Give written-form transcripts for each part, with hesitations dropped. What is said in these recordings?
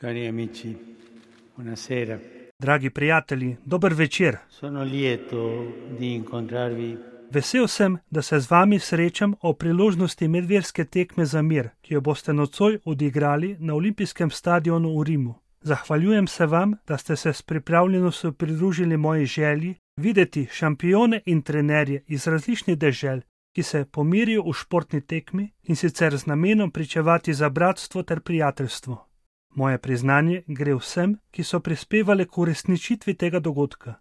Cari amici, buonasera. Dragi prijatelji, dober večer. Sono lieto di incontrarvi Vesel sem, da se z vami srečam o priložnosti medverske tekme za mir, ki jo boste nocoj odigrali na olimpijskem stadionu v Rimu. Zahvaljujem se vam, da ste se s pripravljenostjo pridružili moji želji videti šampione in trenerje iz različnih dežel, ki se pomirijo v športni tekmi in sicer z namenom pričevati za bratstvo ter prijateljstvo. Moje priznanje gre vsem, ki so prispevali k uresničitvi tega dogodka.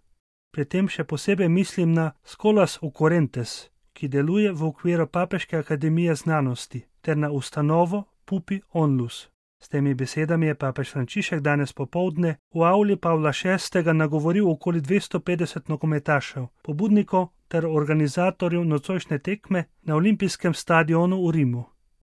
Pri tem še posebej mislim na Scholas Occurrentes, ki deluje v okviru Papeške akademije znanosti, ter na ustanovo Pupi Onlus. S temi besedami je papež Frančišek danes popoldne v avli Pavla VI. Nagovoril okoli 250 nogometašev, pobudnikov ter organizatorjev nocojšnje tekme na olimpijskem stadionu v Rimu.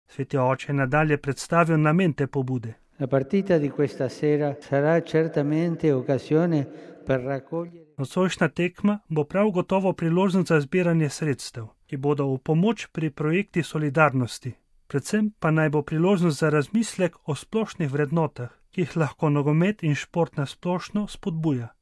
Sveti oče je nadalje predstavil namen te pobude. La partita di questa sera sarà certamente occasione per raccogliere. Nocojšnja tekma bo prav gotovo priložnost za zbiranje sredstev, ki bodo v pomoč pri projekti solidarnosti. Predvsem pa naj bo priložnost za razmislek o splošnih vrednotah, ki jih lahko nogomet in šport na splošno spodbuja.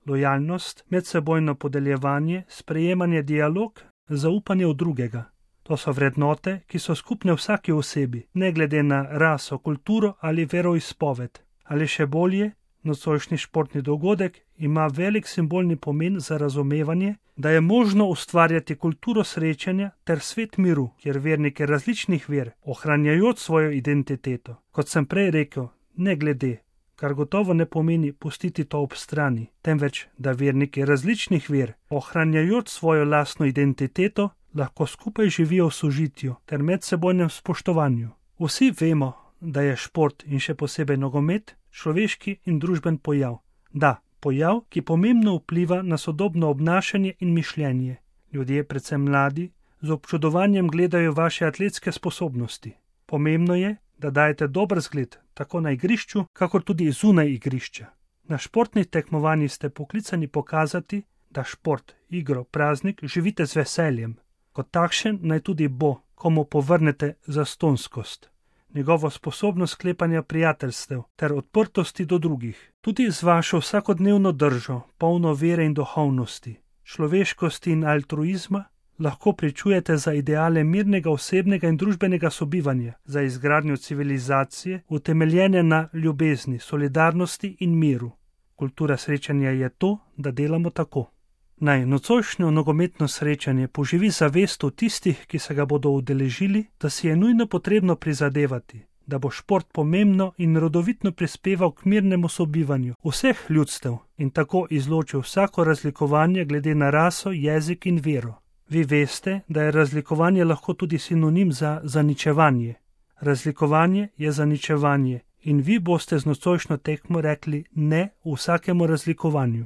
Lojalnost, medsebojno podeljevanje, sprejemanje, dialog, zaupanje v drugega. To so vrednote, ki so skupne vsaki osebi, ne glede na raso, kulturo ali veroizpoved. Ali še bolje, nocojšnji športni dogodek ima velik simbolni pomen za razumevanje, da je možno ustvarjati kulturo srečanja ter svet miru, kjer verniki različnih ver, ohranjajoč svojo identiteto, kot sem prej rekel, ne glede, kar gotovo ne pomeni pustiti to ob strani, temveč, da verniki različnih ver, ohranjajoč svojo lastno identiteto, lahko skupaj živijo v sožitju ter medsebojnem spoštovanju. Vsi vemo, da je šport in še posebej nogomet človeški in družben pojav. Da, pojav, ki pomembno vpliva na sodobno obnašanje in mišljenje. Ljudje, predvsem mladi, z občudovanjem gledajo vaše atletske sposobnosti. Pomembno je, da dajete dober zgled tako na igrišču, kakor tudi zunaj igrišča. Na športnih tekmovanjih ste poklicani pokazati, da šport, igro, praznik živite z veseljem. Kot takšen naj tudi bo, komu povrnete zastonskost. Njegovo sposobnost sklepanja prijateljstev ter odprtosti do drugih, tudi z vašo vsakodnevno držo, polno vere in duhovnosti, človeškosti in altruizma, lahko pričujete za ideale mirnega osebnega in družbenega sobivanja, za izgradnjo civilizacije, utemeljene na ljubezni, solidarnosti in miru. Kultura srečanja je to, da delamo tako. Naj nocojšnjo nogometno srečanje poživi zavest v tistih, ki se ga bodo udeležili, da si je nujno potrebno prizadevati, da bo šport pomembno in rodovitno prispeval k mirnemu sobivanju vseh ljudstev in tako izločil vsako razlikovanje glede na raso, jezik in vero. Vi veste, da je razlikovanje lahko tudi sinonim za zaničevanje. Razlikovanje je zaničevanje in vi boste z nocojšnjo tekmo rekli ne vsakemu razlikovanju.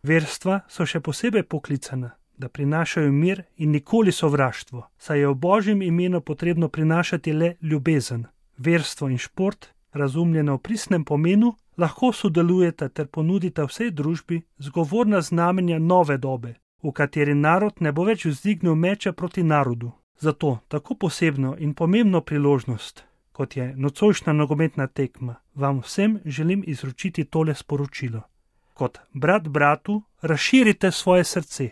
Verstva so še posebej poklicana, da prinašajo mir in nikoli sovraštvo, saj je v Božjem imenu potrebno prinašati le ljubezen. Verstvo in šport, razumljeno v pristnem pomenu, lahko sodelujeta ter ponudita vsej družbi zgovorna znamenja nove dobe, v kateri narod ne bo več vzdignil meča proti narodu. Zato tako posebno in pomembno priložnost, kot je nocojšnja nogometna tekma, vam vsem želim izročiti tole sporočilo. Kot brat bratu razširite svoje srce.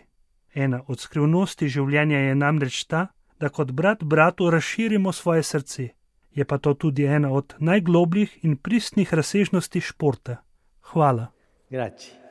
Ena od skrivnosti življenja je namreč ta, da kot brat bratu razširimo svoje srce. Je pa to tudi ena od najglobljih in pristnih razsežnosti športa. Hvala. Grazie.